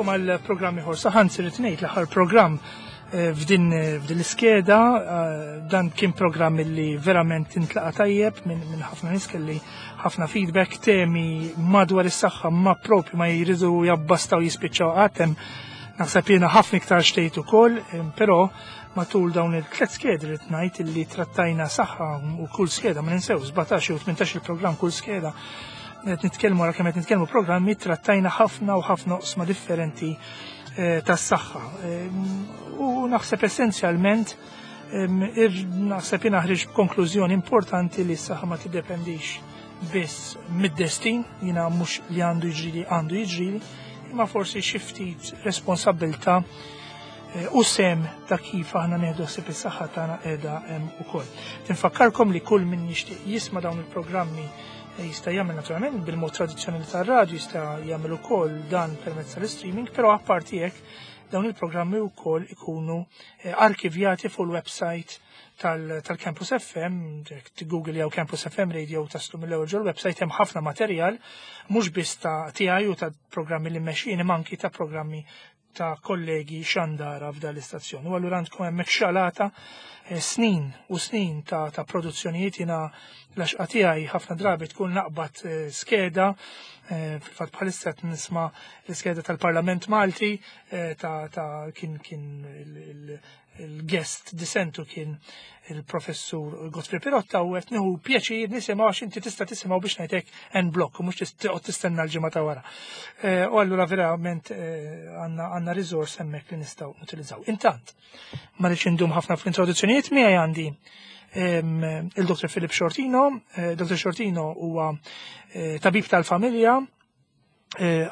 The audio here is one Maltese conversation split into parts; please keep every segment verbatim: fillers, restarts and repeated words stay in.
Nilqagħkom għal programm ieħor. Saħansitra rrid ngħid l-aħħar programm eh, f'din f'din l-iskeda, eh, dan kien programm li verament intlaqa tajjeb minn min ħafna nies, kelli ħafna feedback, temi madwar is-saħħa ma propju ma jridu jabbastaw jispiċċaw għatem. Naħseb jiena ħafna iktar xtejt ukoll, eh, però matul dawn il-tliet skedi rrid ngħid illi trattajna saħħa u kull skeda, ma ninsew, sbatax u tmintax il-programm kull skeda, qed nitkellmu għal kemm qed nitkellmu programmi, trattajna ħafna u ħafna oqsma differenti eh, tas-saħħa. U naħseb essenzjalment naħseb jiena ħriġ konklużjoni importanti li s-saħħa ma tiddependix biss mid-destin, jiena mhux li għandu jiġrili għandu jiġrili, imma forsi xi ftit responsabbiltà eh, u sem ta' kif aħna nieħdu ħsieb is-saħħa tagħna qiegħda hemm ukoll. Tinfakkarkom li kull min jixtieq jisma' dawn il-programmi jista' jagħmel naturalment bil-mod tradizzjonali tar-radju, jista' jagħmel ukoll dan permezz tal-streaming, però apparti hekk dawn il-programmi wkoll ikunu eh, arkivjati fuq il-website tal-Campus F M, Google jew Campus F M Radio taslu mill-ewwel ġol website, hemm ħafna materjal mhux biss ta' tiegħi u ta' programmi li mmexxin, anki ta' programmi ta' kollegi xandara f'dan l-istazzjon. U allura għandkom hemmhekk xalata eh, snin u snin ta', ta produzzjonijiet. Jiena l-għaxqa tiegħi ħafna drabi tkun naqbad eh, skeda, eh, fil-fatt bħalissa qed nisma' l-iskeda tal-Parlament Malti ta', ta kien kien il-guest disentu kien il-professur Godfrey Pirotta u qed nieħu pjaċir nisimgħu għax inti tista' tisimgħu biex ngħidlek en bloc u mhux toqgħod tistenna l-ġimgħa ta' wara. Eh, u allura verament eh, għandna għandna riżors hemmhekk li nistgħu nutilizzaw. Intant, ma rridx indum ħafna fl-introduzzjonijiet, miegħi għandi il-Dottor Philip Sciortino. Eh, Dottor Sciortino huwa tabib tal-familja,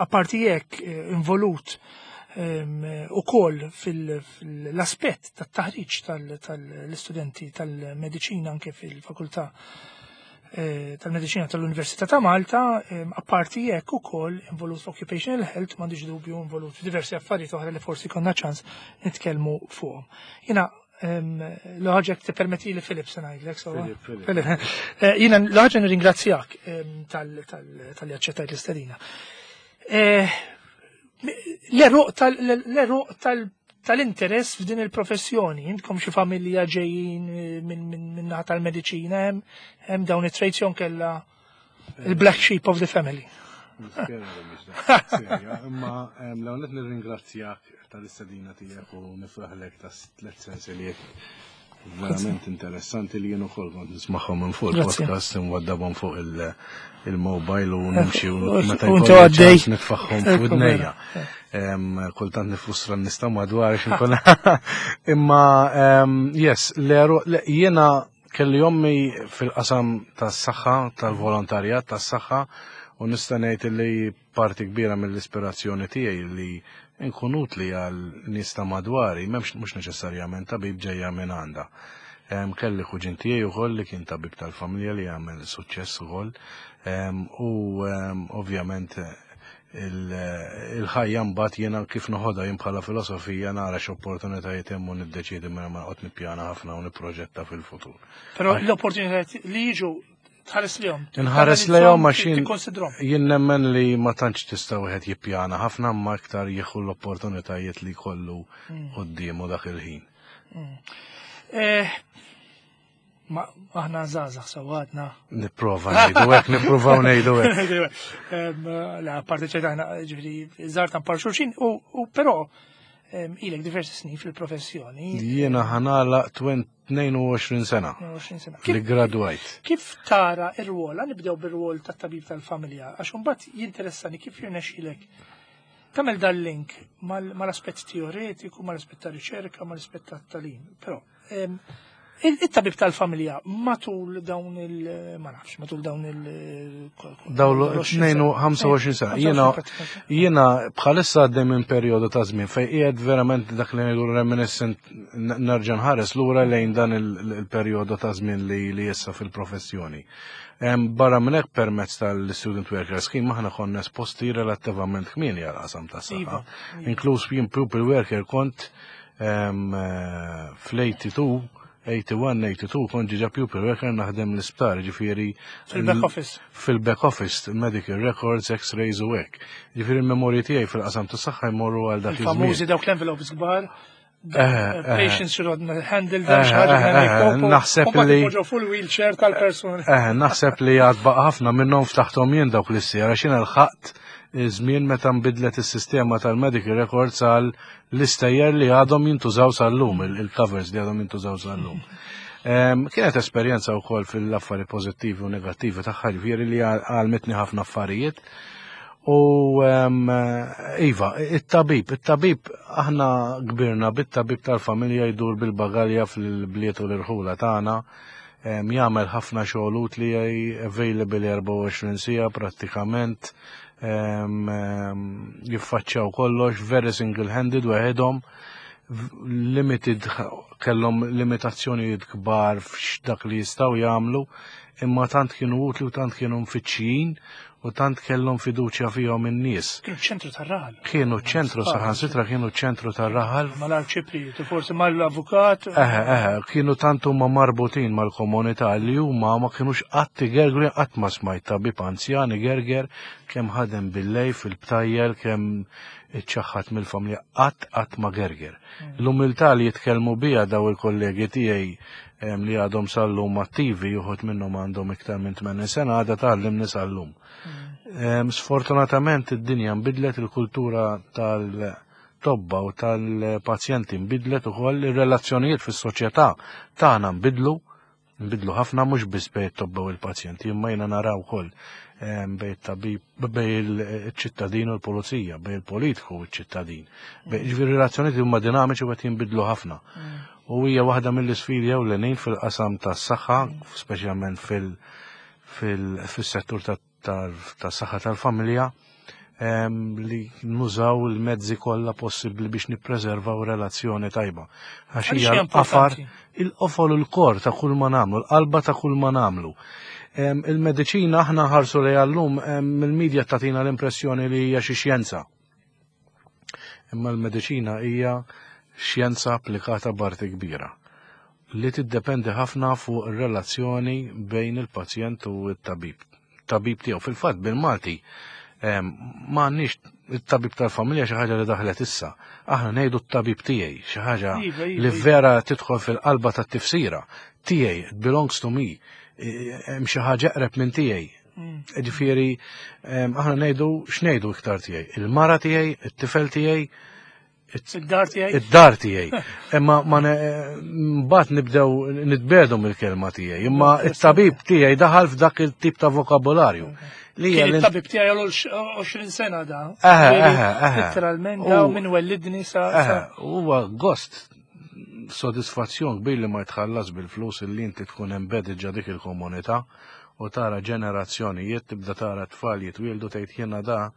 apparti hekk involut u koll fil-aspett tat-taħriġ tal-istudenti tal-mediċina anke fil-fakultà eh, tal-Mediċina tal-Università ta' Malta, apparti hekk ukoll involut f'occupational health, m'għandix dubju involut f'diversi affarijiet oħra li forsi konna ċans nitkellmu fuqhom. Jiena l-ħaġa tippermetti li Philip se ngħidlek, so. Eh, jiena l-ħaġa nirringrazzjak talli aċċettajt l-istedina. Eh, l-għeruq tal-interess f'din il-professjoni, intkom xi familja ġejjin minn naħa tal-mediċina, hemm dawn it-traits kella il-black sheep of the family? Imma l-għonet nirringrazzjak tal-istedina tiegħek u nifraħlek ta' tliet sensiliet verament interessanti li jien ukoll kont nismagħhom minn fuq il-podcast, nwaddabhom fuq il-mobile u nimxi u meta għaddej nitfagħhom fuq idnejja. Kultant nifrustra n-nista madwar x'inkun. Imma yes, jiena kelli ommi fil-qasam tas-saħħa, tal-volontarjat tas-saħħa, u nista' ngħid li parti kbira mill-ispirazzjoni tiegħi li nkun utli għal nies ta' madwari, m'hemmx mhux neċessarjament tabib, ġejja minn għandha. Kelli kuġin tiegħi ukoll li kien tabib tal-familja li għamel suċċess ukoll. U ovvjament il-ħajja mbagħad jiena kif noħodha jien bħala filosofija, nara x'opportunitajiet hemm u niddeċiedi minn ma noqgħod nippjana ħafna u nipproġetta fil-futur. Però l-opportunitajiet li jiġu tħares lejhom. Inħares lejhom għax jien Tikkonsidrom. jien nemmen li ma tantx tista' wieħed jippjana ħafna, ma iktar jieħu l-opportunitajiet li jkollu quddiemu dak il-ħin. Eh, Ma aħna żgħażagħ sawadna. Nipprova ngħidu hekk, nippruvaw ngħidu hekk. Em, La, parti ċejt aħna ġifieri żgħar ta' par xulxin, u u però em, ilek diversi snin fil-professjoni. Jiena ħa nagħlaq tnejn u għoxrin sena tnejn u għoxrin sena. li Kif, gradwajt. Kif tara ir-rwol, nibdew bir-rwol tat-tabib tal-familja, għax imbagħad jinteressani kif jirnexxilek tagħmel dal-link mal- mal-aspett teoretiku, mal-aspett ta' riċerka, mal-aspett ta' tagħlim. Però em, il- it-tabib tal-familja matul dawn il- ma nafx, matul dawn il- Dawn ħamsa u għoxrin sena. Jiena jiena bħalissa għaddej minn perjodu ta' żmien fej qiegħed verament dak li ngħidu reminiscent, nerġa' nħares lura lejn dan il- il-perjodu ta' żmien li li issa fil-professjoni. Em, Barra minn hekk, permezz tal-Student Worker Scheme aħna konna esposti relattivament kmieni għal qasam ta' saħħa. Iva, iva. Inkluż jien pupil worker kont em, eh, fl-tminja u tmenin eighty-one, eighty-two kont ġa pupil worker naħdem l-isptar, ġifieri Fil-back office. Fil-back office, medical records, x-rays u hekk. Ġifieri il-memorji tiegħi fil-qasam tas-saħħa jmorru għal dak iż-żmien. Il-famużi dawk l-envelopes kbar. Eh, eh. Patients should handle them, Eh, xi ħaġa eh, minn eh, hekk, naħseb u mbagħad li- ipoġġew full wheelchair tal-persuna. Eh, naħseb li għad baqa ħafna minnhom ftaħtom jien dawk l-issiera, xina lħaqt żmien meta nbidlet is-sistema tal-medical records għal l-istejjer li għadhom jintużaw sal-lum, il-covers li għadhom jintużaw sal-lum. Em, Kienet esperjenza wkoll fil-affari pożittivi u negattivi tagħha, ġifieri li għallmitni ħafna affarijiet. U em, iva, it-tabib, it-tabib, aħna kbirna bit-tabib tal-familja jdur bil-bagalja fil-bliet u l-irħula tagħna, em, jagħmel ħafna xogħol utli, available erbgħa u għoxrin siegħa prattikament, em, em, jiffaċċjaw kollox, very single-handed waħedhom, v- limited, kellhom limitazzjonijiet kbar f'dak li jistgħu jagħmlu, imma tant kienu utli u tant kienu mfittxijin u tant kellhom fiduċja fihom in-nies. Kienu ċentru tar-raħal. Kienu ċentru, saħansitra kienu ċentru tar-raħal. Mal-arċipriet, forsi mal-avukat. Eħe, eħe, kienu tant huma marbutin mal-komunità li huma ma kienux qatt igergru. Qatt ma smajt tabib anzjan igerger kemm ħadem billejl fil-btajjel, kemm iċċaħħat mill-familja, qatt qatt ma gerger. L-umiltà li jitkellmu bija daw il-kollegi tiegħi em, li għadhom sal-lum attivi, uħud minnhom għandhom iktar minn tmenin sena, għadha tgħallimni sal-lum. Em, Sfortunatament id-dinja nbidlet, il-kultura tal-tobba u tal-pazjenti nbidlet ukoll, ir-relazzjonijiet fis-soċjetà tagħna nbidlu, nbidlu ħafna, mhux biss bejn it-tobba u l-pazjenti, imma jiena naraw ukoll em, bejn it-tabib, bejn il-ċittadin u l-pulizija, bejn il-politiku u ċ-ċittadin. Bejn- Ġifieri relazzjonijiet huma dinamiċi u qed jinbidlu ħafna. U hija waħda mill-isfidi ewlenin fil-qasam tas-saħħa, speċjalment fil- fil- fis-settur tas-saħħa tal-familja, em, li nużaw il-mezzi kollha possibbli biex nippreservaw relazzjoni tajba. Għax Għaliex hija hija l-qafar, importanti? il-qofol, il-core ta' kull ma nagħmlu, l-qalba ta' kull ma nagħmlu. Em, Il-mediċina aħna ħarsu li għallum il-medja tatina l-impressjoni li hija xi xjenza. Imma l-mediċina hija xjenza applikata b'arti kbira li tiddependi ħafna fuq ir-relazzjoni bejn il-pazjent u t-tabib. Tabib tiegħu fil-fatt bil-Malti em, ma għandniex it-tabib tal-familja, xi ħaġa li daħlet issa. Aħna ngħidu t-tabib tiegħi, xi ħaġa Iva, iva, li iva. vera tidħol fil-qalba tat-tifsira. Tiegħi, it belongs to me. E, Hemm xi ħaġa eqreb minn tiegħi. Mm. Ġifieri, em, aħna ngħidu x'ngħidu iktar tiegħi? Il-mara tiegħi, it-tifel tiegħi, Id-dar tiegħi. id-dar tiegħi. Imma ma ne- mbagħad nibdew nitbedu mill-kelma tiegħi. Imma it-tabib tiegħi daħal f'dak il-tip ta' vokabolarju. Li hija Kien l- it-tabib tiegħi għal għoxrin sena da. Eħe, Ġifieri, eħe, eħe. Literalment da U- minn wellidni sa. Eħe, sa- huwa gost, sodisfazzjon kbir li ma jitħallas bil-flus illi inti tkun embedded ġa dik il-komunità u tara ġenerazzjonijiet, tibda tara tfal jitwieldu, tgħid jiena da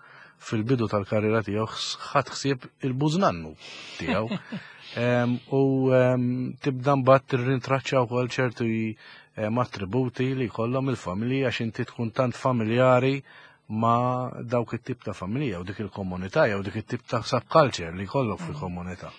fil-bidu tal-karriera tiegħu ħadd ħsieb il-bużnannu tiegħu. Em, U em, tibda mbagħad tirrintraċċa wkoll ċertu em, attributi li jkollhom il-familja, għax inti tkun tant familjari ma dawk it-tip ta' familja u dik il-komunità jew dik it-tip ta' subculture li jkollok fil-komunità.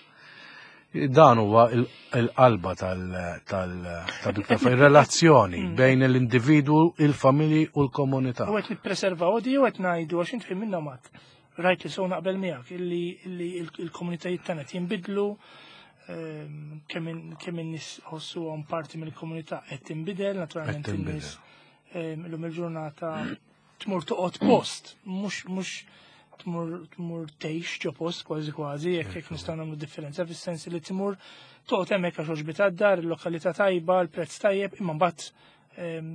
Dan huwa il- il-qalba tal- tal- tal il-relazzjoni bejn l-individwu, il-familji u l-komunità. U qed nippreservaw di u qed ngħidu għax inti minna mat. Rajt li sew naqbel miegħek illi illi il-komunitajiet tagħna qed jinbidlu, ehm, kemm in- kemm in-nies ħossuhom parti mill-komunità qed tinbidel, naturalment Qed tinbidel. in-nies ehm, illum il-ġurnata tmur toqgħod post, mhux mhux tmur tmur tgħix ġo post kważi kważi, jekk jekk nistgħu nagħmlu differenza, fis-sens li tmur toqgħod hemmhekk għax għoġbitha d-dar, il-lokalità tajba, il-prezz tajjeb, imma mbagħad ehm,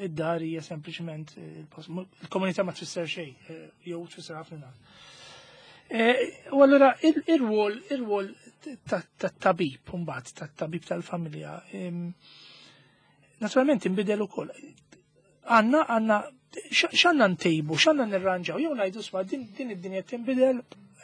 id-dar hija sempliċement il-post. Il-komunità ma tfisser xejn, eh, jew tfisser ħafna inqas. Eh, U allura il-rwol ir-rwol tat-tabib mbagħad tat-tabib tal-familja ehm, naturalment inbidel ukoll. Għanna għanna x'għandna ntejbu, x'għandna nirranġaw, jew ngħidu sma din din id-dinja tinbidel,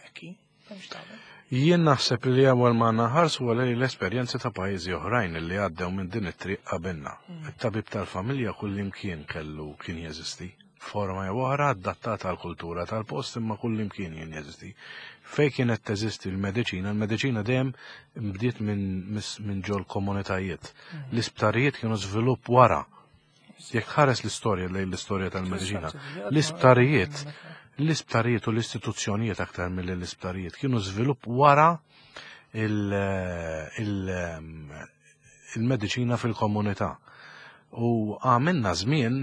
ekki, m'hemmx tagħmel. Jien naħseb li ewwel ma naħarsu għal l-esperjenzi ta' pajjiżi oħrajn li għaddew minn din it-triq qabilna. It-tabib tal-familja kull imkien kellu kien jeżisti. Forma jew oħra adattata għal kultura tal-post, imma kull imkien jien jeżisti. Fej kienet teżisti l-mediċina, l-mediċina dejjem bdiet minn min ġol komunitajiet. L-isptarijiet kienu żvilupp wara. Jekk ħares l-istorja lejn l-istorja tal-mediċina, l-isptarijiet, l-isptarijiet u l-istituzzjonijiet aktar mill l-isptarijiet kienu żvilupp wara il-mediċina fil-komunità. U għamilna żmien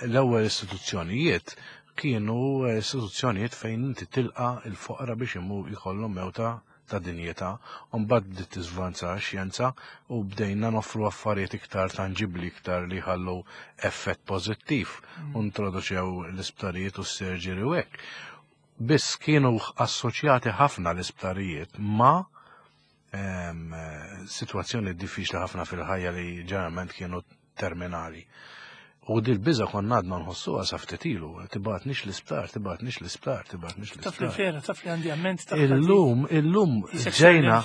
l-ewwel istituzzjonijiet kienu istituzzjonijiet fejn inti tilqa il-foqra biex imu jkollhom mewta ta' dinjità, u mbagħad bdiet tiżvanza x-xjenza u bdejna noffru affarijiet iktar tanġibli, iktar li jħallu effett pożittiv, u introduċew l-isptarijiet u s-surgery u hekk. Biss kienu assoċjati ħafna l-isptarijiet ma' situazzjoni diffiċli ħafna fil-ħajja li ġeneralment kienu terminali. U dil-biża konna għadna nħossuha sa ftit ilu, tibgħatnix l-isptar, tibgħatnix l-isptar, tibgħatnix Taf li l-isptar. Vera, taf li għandi amment taf. Illum, illum ġejna,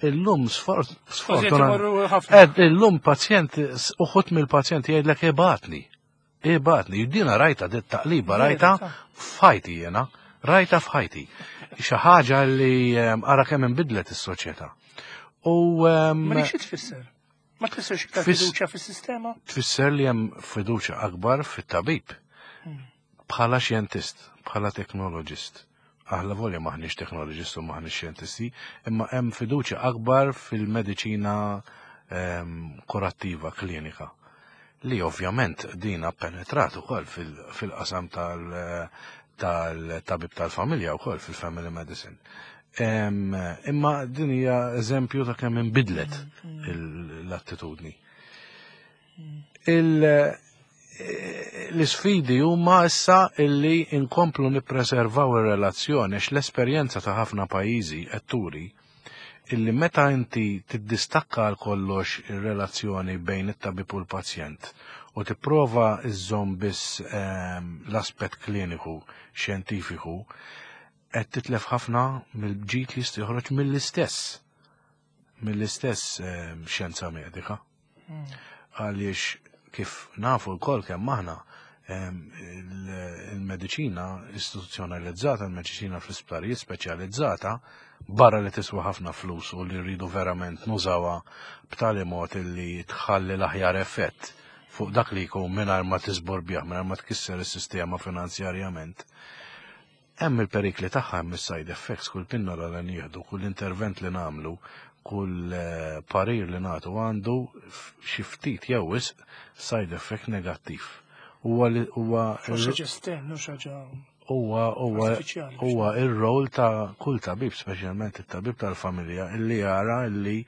illum sfortuna. Imorru ħafna. Ed, illum pazjent, uħud mill-pazjenti jgħidlek ibgħatni. Ibgħatni, dina rajta, dit taqliba rajta f'ħajti jena, rajta f'ħajti. Xi ħaġa li em, ara kemm inbidlet is-soċjetà. U em, Ma dik xi tfisser? Ma tfissirx iktar Tfiss- fiduċja fis-sistema? Tfisser li hemm fiduċja akbar fit-tabib. Bħala xjentist, bħala teknoloġist. Aħna volja maħniex teknoloġist u maħniex xjentisti, imma hemm fiduċja akbar fil-mediċina em, kurattiva klinika. Li ovvjament dina penetrat ukoll fil- fil-qasam tal- tal-tabib tal-familja wkoll fil-family medicine. Em, Imma din hija eżempju ta' kemm inbidlet il- l-attitudni. Il- L-isfidi huma issa illi inkomplu nippreservaw ir-relazzjoni, għax l-esperjenza ta' ħafna pajjiżi qed turi illi meta inti tiddistakka għal kollox ir-relazzjoni bejn it-tabib u l-pazjent u tipprova iżżomm biss ehm, l-aspett kliniku xjentifiku, qed titlef ħafna mill-ġid li jista' joħroġ mill-istess mill-istess ehm, xjenza medika. Għaliex kif nafu lkoll kemm aħna em, il- il-mediċina istituzzjonalizzata, il-mediċina fl-isptarijiet speċjalizzata, barra li tiswa ħafna flus u li rridu verament nużawha b'tali mod li tħalli l-aħjar effett fuq dak li jkun mingħajr ma tiżborbjah, mingħajr ma tkisser is-sistema finanzjarjament. Hemm il-perikli tagħha, hemm is-side effects, kull pinnola li nieħdu, kull intervent li nagħmlu, kull eh, parir li nagħtu għandu f- xi ftit jew wisq side effect negattiv. Huwa li- huwa Mhux ħaġa estern, mhux ħaġa huwa huwa artifiċjali. Huwa ir-rol ta' kull tabib, speċjalment it-tabib tal-familja, illi jara illi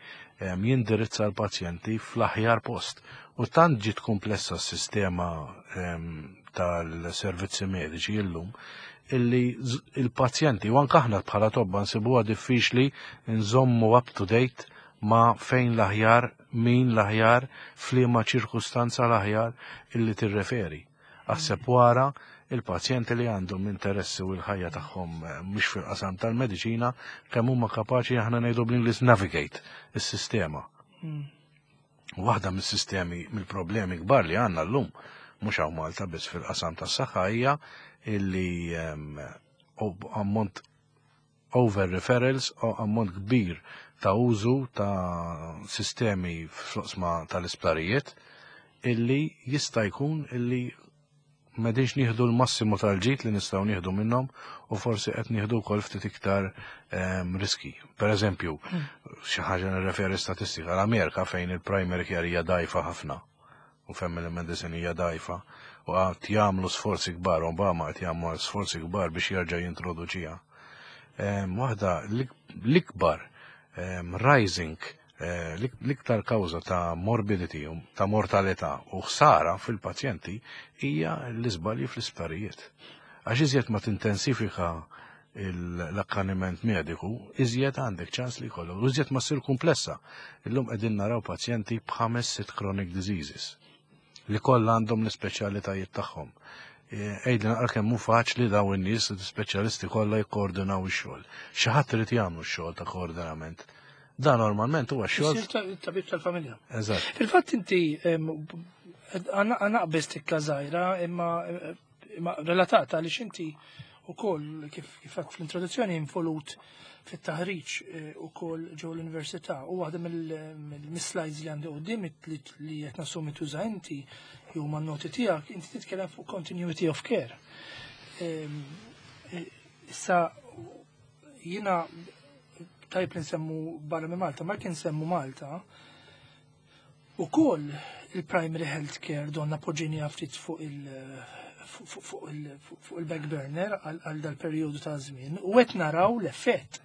em, jindirizza l-pazjenti fl-aħjar post. U tant ġiet komplessa s-sistema em, tal-servizzi mediċi illum illi z- il-pazjenti u anke aħna bħala tobba nsibuha diffiċli nżommu up to date ma' fejn l-aħjar, min l-aħjar, f'liema ċirkustanza l-aħjar illi tirreferi. Aħseb wara il-pazjenti li għandhom interessi u l-ħajja tagħhom eh, mhux fil-qasam tal-mediċina, kemm huma kapaċi, aħna ngħidu bl-Ingliż, navigate is-sistema. Waħda mis-sistemi, mill-problemi kbar li għandna llum, mhux hawn Malta biss, fil-qasam tas-saħħa hija illi em, o- ammont over referrals u ammont kbir ta' użu ta' sistemi fl-oqsma tal-isptarijiet illi jista' jkun illi m'qegħdinx nieħdu l-massimu tal-ġid li nistgħu nieħdu minnhom u forsi qed nieħdu wkoll ftit iktar em, riski. Per eżempju, xi ħaġa nirreferi statistika l-Amerika, fejn il-primary care hija dgħajfa ħafna u family medicine hija dgħajfa u qed jagħmlu sforzi kbar, Obama qed jagħmlu sforzi kbar biex jerġa' jintroduċiha. Em, Waħda l-ikbar em, rising eh, l-iktar kawża ta' morbidity, u ta' mortalità u ħsara fil-pazjenti hija l-iżbalji fl-isptarijiet. Għax iżjed ma tintensifika l-akkaniment mediku, iżjed għandek ċans li jkollok, u iżjed ma ssir komplessa. Illum qegħdin naraw pazjenti b'ħames sitt chronic diseases li kollha għandhom l-ispeċjalitajiet tagħhom. Għidli naqra kemm hu faċli daw in-nies l-ispeċjalisti kollha jikkoordinaw ix-xogħol. Xi ħadd irid jagħmlu x-xogħol ta' koordinament. Dan normalment huwa xogħol Isir tabib tal-familja. Eżatt. Fil-fatt inti għana qbiż tikka żgħira, imma imma relatata għaliex inti ukoll kif kif għedt fl-introduzzjoni involut fit-taħriġ eh, ukoll ġew l-università u waħda mill-slides li għandi quddiem li li qed nassumi tuża inti jew man-noti tiegħek, inti titkellem fuq continuity of care. Ehm, eh, Issa jiena tajb li nsemmu barra minn Malta, ma kien nsemmu Malta, ukoll il-primary health care donna poġġejnieha ftit fuq il- fuq fuq il- fuq il-back burner għal għal dal-perjodu ta' żmien u qed naraw l-effett.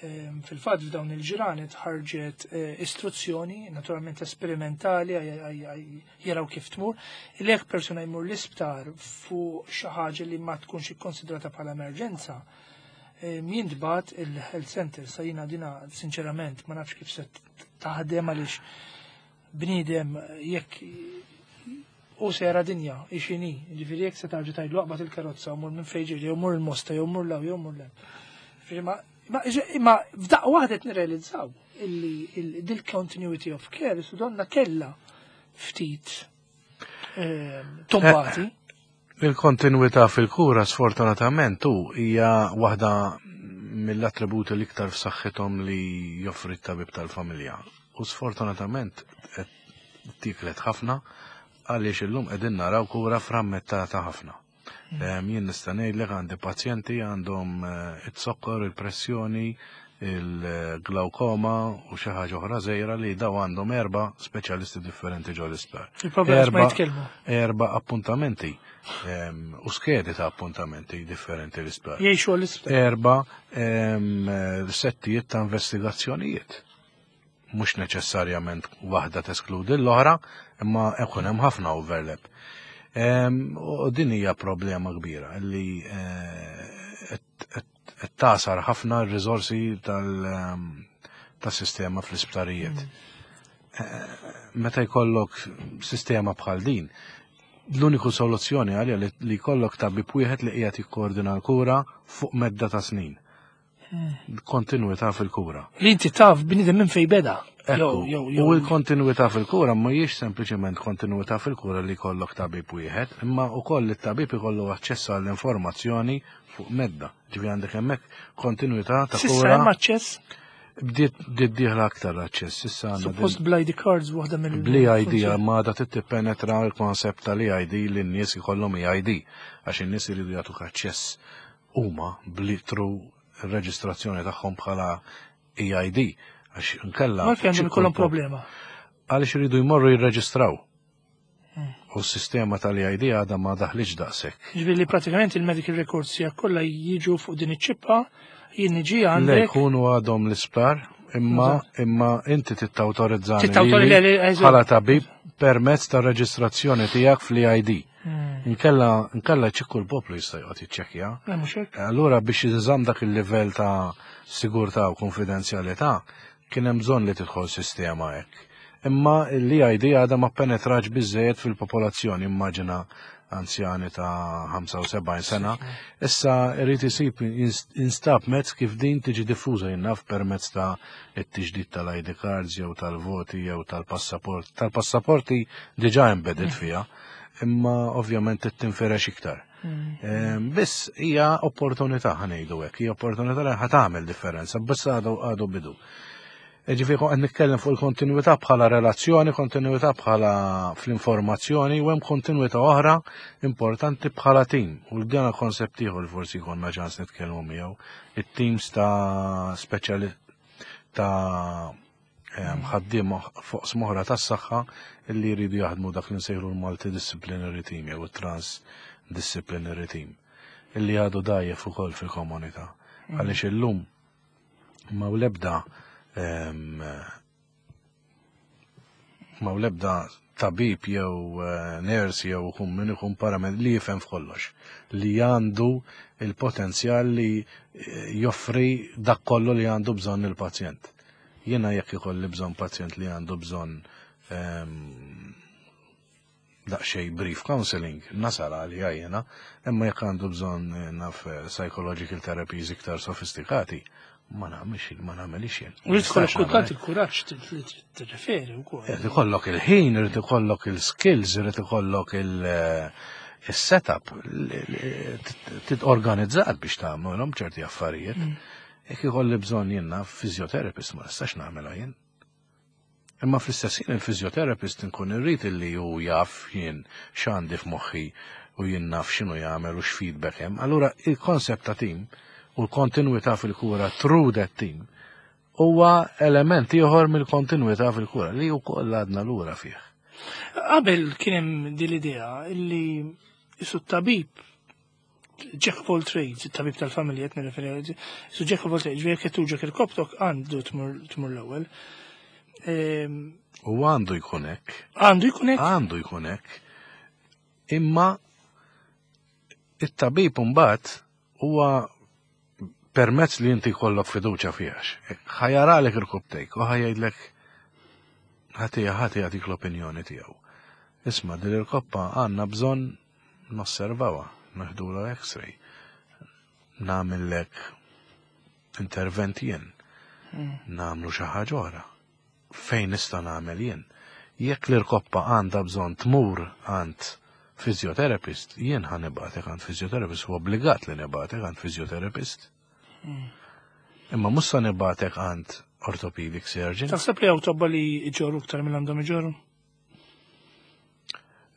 Ehm, Fil-fatt f'dawn il-ġranet ħarġet eh, istruzzjoni, naturalment esperimentali, għaj- għaj- għaj- jaraw kif tmur, li jekk persuna jmur l-isptar fuq xi ħaġa li ma tkunx ikkonsidrata bħala emerġenza, ehm, jintbagħat il-health center. Sa jiena dina sinċerament ma nafx kif se taħdem, għaliex bniedem jekk u sera dinja, ixini, ġifieri jekk se tarġa tgħidlu aqbad il-karozza u mur minn fejn ġiri, jew mur il-Mosta, jew mur 'l hawn, jew mur 'l hemm. Ġifieri ma ma imma f'daqqa waħda qed nirrealizzaw illi il- dil-continuity of care su donna kella ftit ehm, tombati. Il-kontinuità fil-kura sfortunatament hu hija waħda mill-attributi l-iktar f'saħħithom li joffri t-tabib tal-familja. U sfortunatament qed tiklet ħafna għaliex illum qegħdin naraw kura frammentata ħafna. Em, Jien nista' ngħidlek għandi pazjenti għandhom eh, it-sokkor, il-pressjoni, il-glaukoma u xi ħaġa oħra żgħira li daw għandhom erba' speċjalisti differenti ġo l-isptar. Il-problema ma Erba' jitkellmu. Erba' appuntamenti em, u skedi ta' appuntamenti differenti l-isptar. Jgħixu għall-isptar. Erba' em, settijiet ta' investigazzjonijiet. Mhux neċessarjament waħda teskludi l-oħra, imma ikun hemm ħafna overlap. Em, U din hija problema kbira li eh, qed- qed qed tasar ħafna r-riżorsi tal- em, tas-sistema fl-isptarijiet. Meta jkollok sistema bħal din, l-uniku soluzzjoni għalija li, li jkollok tabib wieħed li qiegħed jikkoordina l-kura fuq medda ta' snin. Kontinuità fil-kura. Li inti taf bniedem minn fej beda. Ekku, Jew, jew, jew. u l-kontinuità fil-kura ma jiex sempliċement kontinuità fil-kura li jkollok tabib wieħed, imma wkoll it-tabib ikollu aċċess għall-informazzjoni fuq medda. Ġifieri għandek hemmhekk kontinuità ta' S'issa kura. hemm aċċess, Bdiet bdiet dieħla aktar aċċess. Issa għandna din- suppost bl-I D cards waħda mill Bl-I D ma da tippenetra l-konsept tal-I D li n-nies ikollhom E I D, għax in-nies iridu jagħtuk aċċess huma bli through ir-reġistrazzjoni tagħhom bħala E I D, għax inkella Ma għandhom ikollhom problema. Għaliex iridu jmorru jirreġistraw. U s-sistema tal-E I D għadha ma daħliġ daqshekk. Ġifieri li pratikament il-medical records tiegħek kollha jiġu fuq din iċ-ċippa, jien niġi Le, għandek. jkunu għadhom l-isptar, imma imma inti tittawtorizzani Tittawtorizza- lili le, le, eżatt. bħala tabib permezz ta' reġistrazzjoni tiegħek fl-E I D. Hmm. Inkella inkella ċikku l-poplu jista' joqgħod jiċċekkja. Le, mhux hekk. Allura biex jinżamm dak il-livell ta' sigurtà u konfidenzjalità kien hemm bżonn li tidħol sistema hekk. Imma l-E I D għadha ma penetrax biżejjed fil-popolazzjoni, immaġina anzjani ta' ħamsa u sebgħin sena. Issa irid isib instab mezz kif din tiġi diffuża, jinnaf permezz ta' it-tiġdid tal-I D cards jew tal-voti jew tal-passaport. Tal-passaporti diġà embedded fiha, imma ovvjament tinfirex iktar. Em, Biss hija opportunità, ħa ngħidu hekk, hija opportunità li ħa tagħmel differenza, biss għadu għadu bidu. Ġifieri qed nitkellem fuq il-kontinuità bħala relazzjoni, kontinuità bħala fl-informazzjoni u hemm kontinuità oħra importanti bħala team. U dana konsept ieħor li forsi jkollna ċans nitkellmu miegħu. It-teams ta' speċjali ta' em, ħaddiem fuq smoħra tas-saħħa illi jridu jaħdmu dak li nsejħlu l-multidisciplinary team jew it-transdisciplinary team illi għadu dajjef ukoll fil-komunità. Għaliex illum ma u lebda em, ma u lebda tabib jew eh, nurse jew kun min ikun paramed li jifhem f'kollox, li għandu il-potenzjal li eh, joffri dak kollu li għandu bżonn il-pazjent. Jiena jekk ikolli bżonn pazjent li għandu bżonn em, daqsxejn brief counseling, nasal għalija jiena, imma jekk għandu bżonn eh, naf eh, psychological therapies iktar sofistikati, ma nagħmilx ma nagħmelix jien. U jrid ikollok Nistax kultant nagħmel. il-kuraġġ li tirreferi wkoll. Irid ikollok il-ħin, irid ikollok il-skills, irid ikollok il- Is-setup titorganizzat biex tagħmilhom ċerti affarijiet. Mm. Jekk ikolli bżonn jiena physiotherapist, ma nistax nagħmilha jien. Imma fl-istess ħin il-physiotherapist nkun irrid illi hu jaf jien x'għandi f'moħħi u jien naf x'inhu jagħmel u x'feedback hemm. Allura il-konsept ta' team u l-kontinwità fil-kura through that team huwa element ieħor mill-kontinwità fil-kura li wkoll għadna lura fih. Qabel kien hemm din l-idea illi isu tabib jack of all trades, it-tabib tal-familja qed nirreferi, isu jack of all trades, jekk qed tuġgħek irkopptok għandu tmur l-ewwel. Ehm, U għandu jkun hekk. Għandu jkun hekk? Għandu jkun hekk. Imma it-tabib mbagħad huwa permezz li inti jkollok fiduċa fiha. Ħa jaralek irkopptejk u ħa jgħidlek, ħatija ħati jagħtik l-opinjoni tiegħu. Isma', din il-koppa għandna bżonn nosservawha, neħdulha X-ray. Nagħmellek intervent jien. Nagħmlu xi ħaġa oħra. Fejn nista' nagħmel jien? Jekk l-irkoppa għandha bżonn tmur għand physiotherapist, jien ħa nibgħatek għand physiotherapist, u obbligat li nibgħatek għand physiotherapist. Imma mhux sa nibgħatek għand orthopedic surgeon. Taħseb li hawn tobba li iġorru iktar minn għandhom iġorru?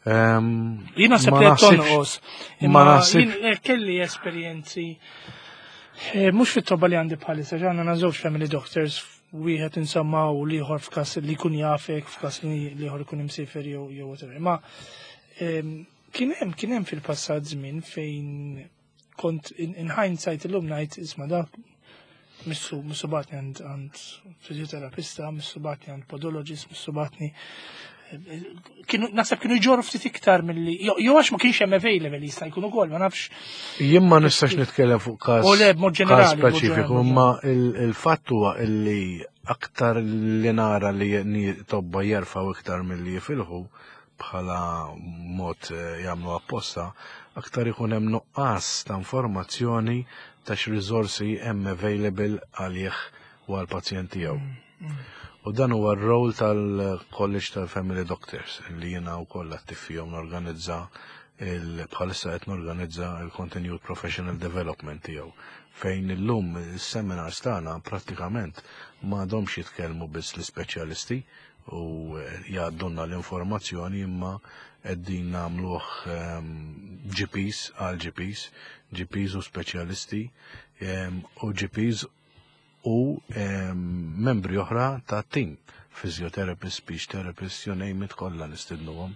Ehm, Jien naħseb ma li qed naħsibx- tonqos. Ma Imma naħsibx. jien eh, kelli esperjenzi eh, mhux fit-tobba li għandi bħalissa, ġanna żewġ family doctors, wieħed insomma u l-ieħor f'każ li jkun jafek, f'każ li l-ieħor ikun imsifer jew jew whatever. Ma ehm, kien hemm kien hemm fil-passat żmien fejn kont in, in hindsight illum ngħid, isma', dak missu missu bagħatni għand għand fizjoterapista, missu bagħatni għand podologist, missu bagħatni, kienu naħseb kienu jġorru ftit iktar milli jew jew għax ma kienx hemm available, jista' jkun ukoll, ma nafx. Jien ma nistax nitkellem fuq każ U le, b'mod każ ġenerali, b'mod speċifiku, ġenerali. imma il- il-fatt huwa illi aktar li nara li ni- tobba jerfgħu iktar milli jifilħu bħala mod eh, jagħmlu apposta, aktar ikun hemm nuqqas ta' informazzjoni ta' x'riżorsi hemm available għalih u għall-pazjent tiegħu. U dan huwa r-rol tal-College tal-Family Doctors li jiena wkoll attiv fihom, norganizza il bħalissa qed norganizza il-Continued Professional Development tiegħu, fejn illum is-seminars tagħna prattikament m'għadhomx jitkellmu biss l-ispeċjalisti u eh, jgħaddunna l-informazzjoni, imma qegħdin nagħmluh ehm, G Ps għal G Ps, G Ps u speċjalisti ehm, u G Ps u ehm, membri oħra ta' team, physiotherapist, speech therapist, you name it, kollha nistidnuhom.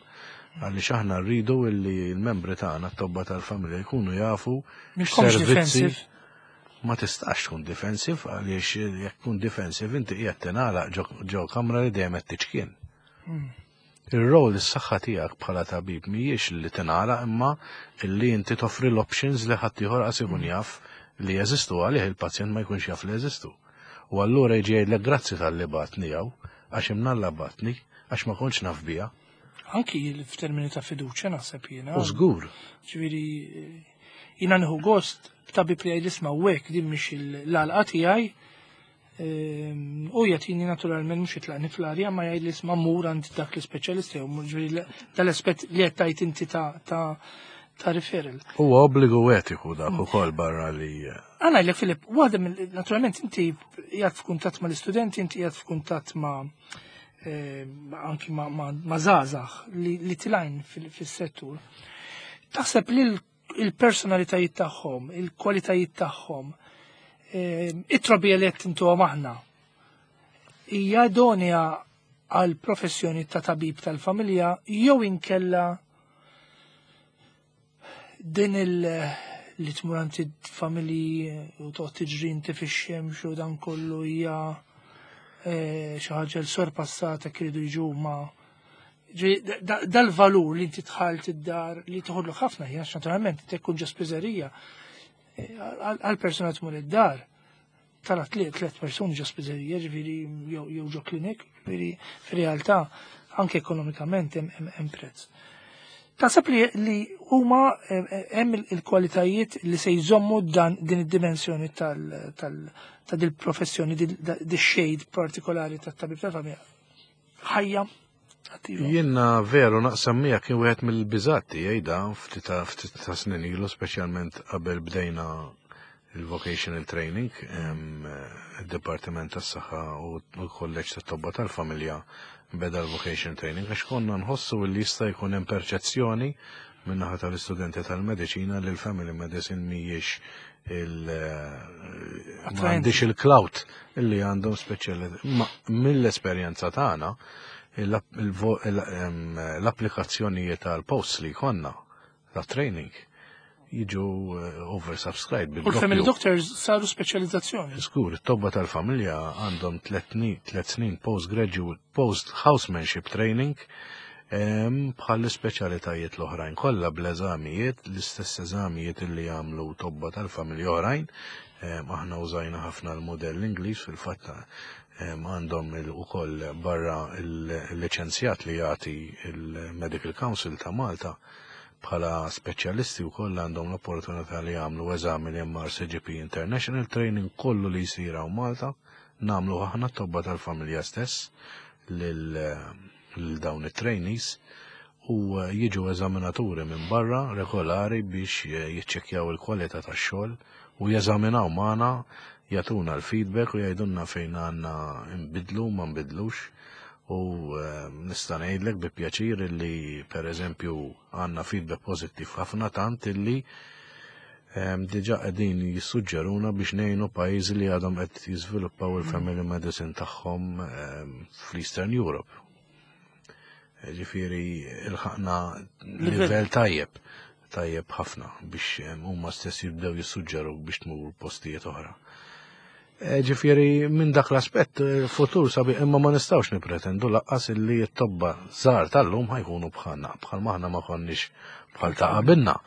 Għaliex aħna rridu illi l-membri tagħna, t-tobba tal-familja, jkunu jafu Mhux servizzi. defensive. Ma tistax tkun defensive, għaliex jekk tkun defensive inti qiegħed tingħalaq ġo- ġo kamra li dejjem qed tiċkien. Ir-rol, is-saħħa tiegħek bħala tabib mhijiex li tingħalaq, imma illi inti toffri l-options li ħadd ieħor qas ikun jaf li jeżistu, għalih il-pazjent ma jkunx jaf li jeżistu. U allura jiġi jgħidlek, "Grazzi talli bgħattni hawn, għax imnalla bgħattni, għax ma kontx naf biha." Anki f'termini ta' fiduċja, naħseb jiena. U żgur. Ġifieri jiena nieħu gost b'tabib li jgħid, "Isma', u hekk din mhix l-għalqa tiegħi," ehm, u jagħtini naturalment, mhux jitlaqni fl-arja, ma jgħid li, "Isma', mur għand dak l-ispeċjalist," jew ġifieri dal-aspett li qed tgħid inti ta' ta' ta' referral. Huwa obbligu etiku dak ukoll barra li Għana l Filip, waħda mill, naturalment inti qiegħed f'kuntatt ma l-istudenti, inti qiegħed f'kuntatt ma' eh, anki ma' ma' ma' żgħażagħ li, li telgħin fil- fis-settur. Taħseb li l- il-personalitajiet tagħhom, il-kwalitajiet tagħhom, eh, it-trobbija li qed intuhom aħna, hija idonea għal professjoni ta' tabib tal-familja jew inkella din il- li tmur għand familji u toqgħod tiġri inti fix-xemx u dan kollu hija eh, xi ħaġa l sorpassata, kridu jiġu ma ġi- da- dal-valur li inti dħalt id-dar li toħodlok ħafna ħin, għax naturalment inti tkun ġo spiżerija, eh, għal għal persuna tmur id-dar tara tliet tliet persuni ġo spiżerija, ġifieri jew jew ġo klinik, ġifieri fir-realtà anke ekonomikament hemm hemm- hemm prezz. Taħseb li, li huma eh, eh, hemm il- il-kwalitajiet li se jżommu dan din id-dimensjoni tal, tal, ta' dil professjoni, di shade partikolari tat-tabib tal-familja ħajja? Attiva. Jiena veru naqsam miegħek, kien wieħed mill-biżat tiegħi da ftit ta' ftit ta' snin ilu, speċjalment qabel bdejna il-vocational training, em, il-Dipartiment tas-Saħħa u l-Kolleġġ tat-Tobba tal-Familja beda l-vocational training, għax konna nħossu li jista' jkun hemm perċezzjoni min-naħa tal-istudenti tal-mediċina li l-family medicine mhijiex il Attraenti. m'għandix il-clout illi għandhom speċjali. Ma mill-esperjenza tagħna l-applikazzjonijiet tal-posts li konna ta' training jiġu eh, oversubscribed. U l-family bil-doppju. doctors saru speċjalizzazzjoni. Skur, it-tobba tal-familja għandhom tlet tlet snin postgraduate, post-housemanship training em, bħal speċjalitajiet l-oħrajn kollha bl-eżamijiet, l-istess eżamijiet illi jagħmlu tobba tal-familja oħrajn. Em, Aħna użajna ħafna l-modell Ingliż fil-fatt, em, għandhom il- ukoll barra il-liċenzjat li jagħti il-Medical Council ta' Malta bħala speċjalisti u koll għandhom l-opportunità li jagħmlu eżami li M R C G P International Training. Kollu li jsir hawn Malta nagħmlu aħna t-tobba tal-familja stess lil lil dawn it-trainees u eh, jiġu eżaminaturi minn barra regolari biex eh, jiċċekkjaw il-kwalità tax-xogħol u jeżaminaw magħna, jagħtuna l-feedback u jgħidulna fejn għandna nbidlu, ma nbidlux. U eh, nista' ngħidlek bi pjaċir li pereżempju għandna feedback pożittiv ħafna, tant illi em, diġà qegħdin jissuġġeruna biex ngħinu pajjiżi li għadhom qed jiżviluppaw il-family medicine tagħhom em, fl-Eastern Europe. Ġifieri ilħaqna livell tajjeb, tajjeb ħafna biex em, huma stess jibdew jissuġġeru biex tmur postijiet oħra. Eh, Ġifieri minn dak l-aspett eh, futur sabi, imma ma nistgħux nipretendu lanqas illi t-tobba żgħar tal-lum ħa jkunu bħalna, bħal maħna ma konniex bħal ta' qabilna.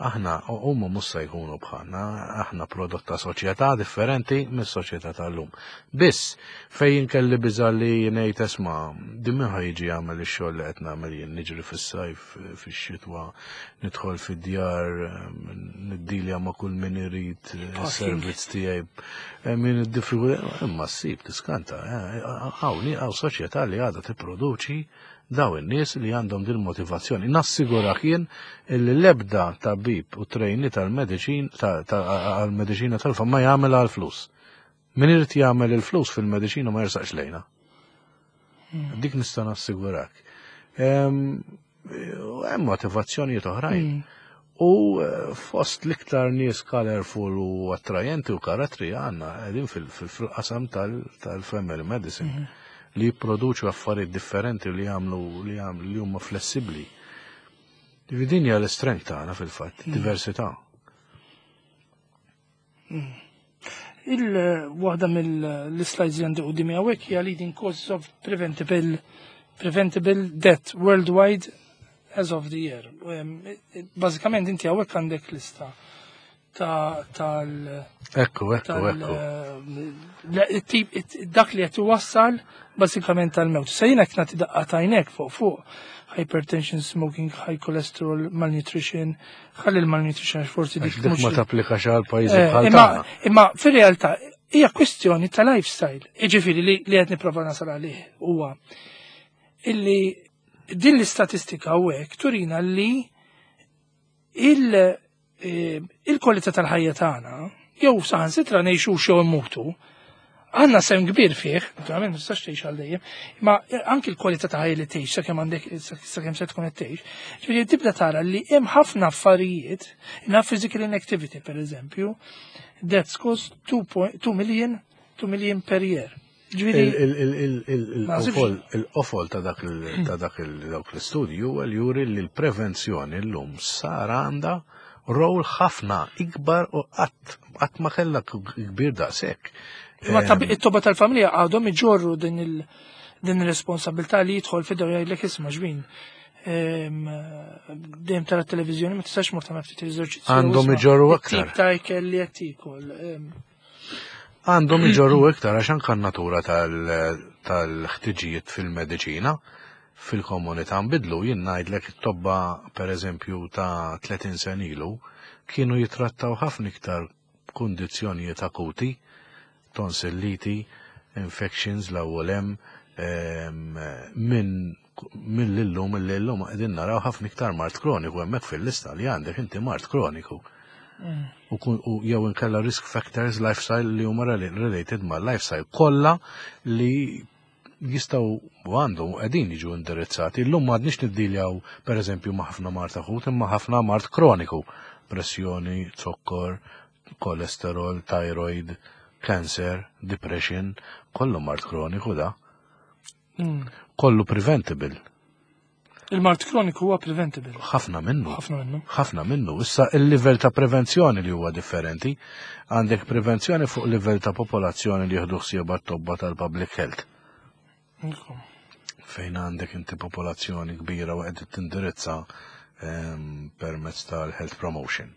Aħna huma mhux se jkunu bħalna, aħna prodott ta' soċjetà differenti mis-soċjetà tal-lum. Biss fejn kelli biża li ngħid, esma', din min ħa jiġi jagħmel ix-xogħol li qed nagħmel jien, niġri fis-sajf, fix-xitwa, nidħol fid-djar, niddilja ma' kull min irid is-servizz tiegħi, eh, min id-diffikultà, imma ssib tiskanta, eh, hawn hawn soċjetà li għadha tipproduċi daw in-nies li għandhom din motivazzjoni. Nassigurak jien illi l-ebda tabib u trainee tal-mediċin tal-mediċina tal-fam ma jagħmel għal flus. Min irid jagħmel il-flus fil-mediċina ma jersaqx lejna. Dik nista' nassigurak. Hemm motivazzjonijiet oħrajn. U eh, fost l-iktar nies colorful u attrajenti u karattri għandna qegħdin fil-qasam tal-family medicine li jipproduċu affarijiet differenti li jagħmlu li jagħmlu li huma flessibbli. Din hija l-strength tagħna fil-fatt, diversità. Il-waħda mill-slides li għandi qudiemi hawnhekk hija leading causes of preventable preventable death worldwide as of the year. Bażikament inti hawnhekk għandek lista ta' tal Ekku, ekku, ekku. Tip dak li qed iwassal bażikament tal-mewt. Se jiena nagħti daqqa t'għajnek fuq fuq hypertension, smoking, high cholesterol, malnutrition, ħalli l-malnutrition forsi dik ma tapplikax għal pajjiżi eh, bħal Imma imma fir-realtà hija kwestjoni ta' lifestyle. Jiġifieri li li qed nipprova nasal għalih huwa illi din l-istatistika hawnhekk turina li il- eh, il-kwalità tal-ħajja tagħna jew saħansitra ngħixu xew immutu għandna sehem kbir fih, naturalment ma tistax tgħix għal dejjem, imma anki l-kwalità ta' ħajja li tgħix sakemm għandek sakemm se tkun qed tgħix. Ġifieri tibda tara li hemm ħafna affarijiet, na physical inactivity per eżempju, that's cost two million two million per year. Ġifieri Il-qofol ta' dak ta' dak dawk l-istudju huwa li juri li l-prevenzjoni llum sar għandha rol ħafna ikbar u qatt qatt ma kellha kbir daqshekk. Imma it-tobba tal-familja għadhom iġorru din il- din il-responsabilità li jidħol fid jgħidlek, isma' ġbin. Dejjem tara t-televiżjoni, ma tistax mur tagħmel ftit eżerċizzju? Għandhom iġorru aktar. Tip ta' ikel li qed tiekol. Għandhom iġorru iktar għax anke natura tal-ħtiġijiet fil-mediċina fil-komunità nbidlu. Jien ngħidlek it-tobba pereżempju ta' tletin sena ilu kienu jitrattaw ħafna iktar kundizzjonijiet akuti, tonsilliti, infections l-ewwel hemm minn Mill-illum mill-illum qegħdin naraw ħafna iktar mard kroniku hemmhekk fil-lista li għandek inti mard kroniku. U kun- u jew inkella risk factors lifestyle li huma rela- related ma' lifestyle kollha li jistgħu u għandhom u qegħdin jiġu indirizzati. Illum m'għadniex niddiljaw, pereżempju, ma' ħafna mard akut, imma ħafna mard kroniku. Pressjoni, zokkor, kolesterol, thyroid, cancer, depression, kollu mard kroniku da. Mm. Kollu preventable. Il-mard kroniku huwa preventable. Ħafna minnu. Ħafna minnu. Ħafna minnu. Issa il-livell ta' prevenzjoni li huwa differenti. Għandek prevenzjoni fuq livell ta' popolazzjoni li jieħdu ħsieba t-tobba tal-public health. Ekku. Fejn għandek inti popolazzjoni kbira u qed tindirizza ehm, permezz tal-health promotion.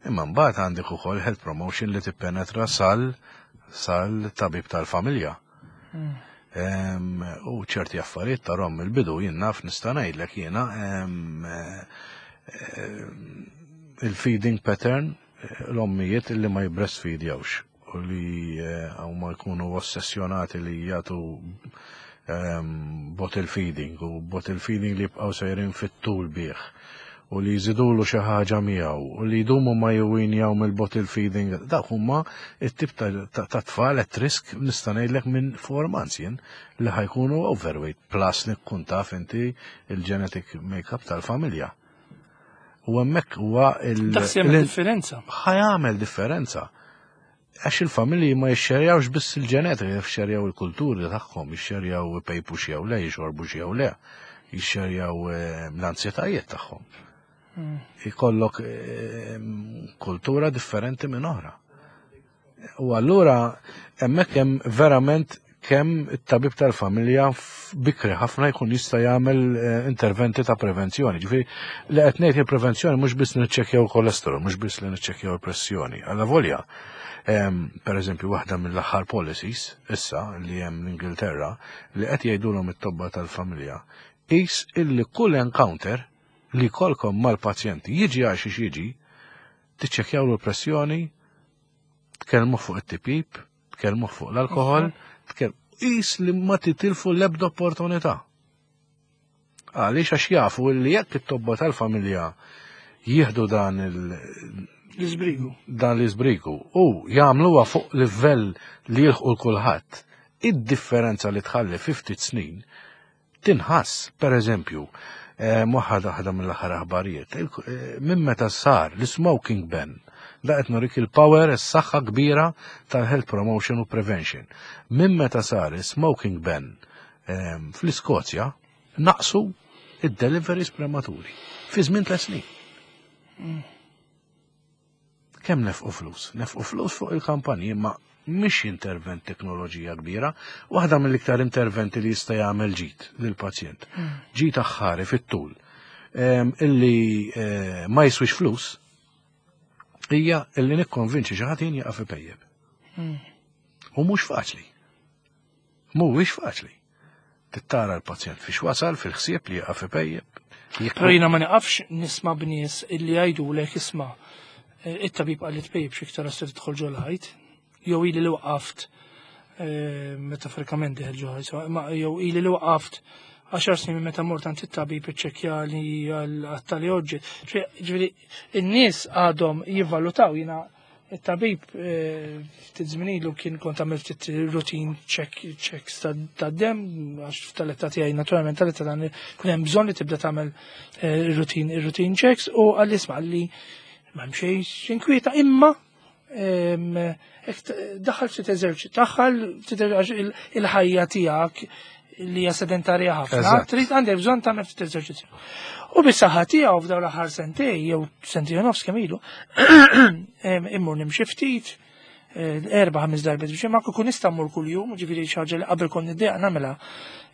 Imma mbagħad għandek ukoll health promotion li tippenetra sal sal tabib tal-familja. Em, U ċerti affarijiet tarahom il-bidu, jien naf, nista' ngħidlek jiena em, eh, em, il-feeding pattern, eh, l-ommijiet illi ma jibreastfeedjawx u li eh, huma jkunu ossessjonati li jagħtu em, bottle feeding u bottle feeding li jibqgħu sejrin fit-tul bih u li jżidulu xi ħaġa miegħu u li jdumu ma jwinjaw mill-bottle feeding, dak huma it-tip ta' ta' ta' tfal at risk, nista' ngħidlek, minn four months jien li ħa jkunu overweight, plus li tkun taf inti il-genetic makeup tal-familja. U hemmhekk huwa il- Dak se jagħmel il- differenza. Ħa jagħmel differenza. Għax il-familji ma jixxerjawx biss il-ġenetika, jixxerjaw il-kulturi tagħhom, jixxerjaw ipejpu jew le, jixorbu jew le, jixxerjaw eh, l-ansjetajiet tagħhom. Ikollok eh, kultura differenti minn oħra. U allura hemmhekk hemm verament kemm it-tabib tal-familja f- bikri ħafna jkun jista' jagħmel eh, interventi ta' prevenzjoni. Ġifieri li qed ngħid, il-prevenzjoni mhux biss niċċekkjaw kolesterol, mhux biss li niċċekkjaw il-pressjoni. Alla volja, em, per eżempju, waħda mill-aħħar policies issa li hemm l-Ingilterra li qed jgħidulhom it-tobba tal-familja is illi kull encounter li jkollkom mal-pazjenti, jiġi għal xiex jiġi, tiċċekkjaw l-pressjoni, tkellmu fuq it-tipjip, tkellmu fuq l-alkohol, tkellmu is li ma titilfu l-ebda opportunità. Għaliex? Għax jafu li jekk it-tobba tal-familja jieħdu dan il- L-iżbrigu. Dan l-iżbrigu u jagħmluha fuq livell li jilħqu l-kulħadd, id-differenza li tħalli fi ftit snin tinħass. Per eżempju, eh, waħda waħda mill-aħħar aħbarijiet, il- eh, minn meta sar l-smoking ban, da qed nurik il-power, is-saħħa kbira tal-health promotion u prevention. Minn meta sar il-smoking ban ehm, fl-Iskozja, naqsu id-deliveries prematuri fi żmien tliet snin. Kemm nefqu flus? Nefqu flus fuq il-kampanji, ma mhix intervent teknoloġija kbira, waħda mill-iktar interventi li jista' jagħmel ġid lill-pazjent. Ġid aħħari fit-tul. Em, illi eh, ma jiswix flus hija illi nikkonvinċi xi ħadd jien jaqaf ipejjeb. U mhux faċli. Mhuwiex faċli. Tittara l-pazjent fiex wasal fil-ħsieb li jaqaf ipejjeb. Jekk- Però jiena ma niqafx nisma' b'nies illi jgħidulek, "Isma', eh, it-tabib qalli tpejjipx iktar għax se tidħol ġol-ħajt," jew "ili li waqaft", eh, metaforikament deħel ġol-ħajt, ma jew "ili li waqaft għaxar snin minn meta mort għand it-tabib iċċekkja li għal-tali oġġet." Ġifieri in-nies għadhom jivvalutaw. Jiena it-tabib eh, ftit żmien ilu kien kont għamilt ftit routine check checks ta' ta' dem, għax tal-età tiegħi, naturalment tal-età dan kun hemm bżonn li tibda tagħmel eh, routine routine checks, u qalli, "Isma'," qalli, "ma hemm xejn x'inkwieta, imma em, hekk t- daħal ftit eżerċi, daħal ftit għax il- il-ħajja tiegħek li hija sedentarja ħafna, Eżatt. trid għandek bżonn tagħmel ftit eżerċizzju." U bis-saħħa tiegħu f'dawn l-aħħar sentej jew sentej u nofs kemm ilu, em, immur nimxi ftit, eh, erba' ħames darbiet biex ma kun nista' mmur kuljum, ġifieri xi ħaġa li qabel kont niddejjaq nagħmilha.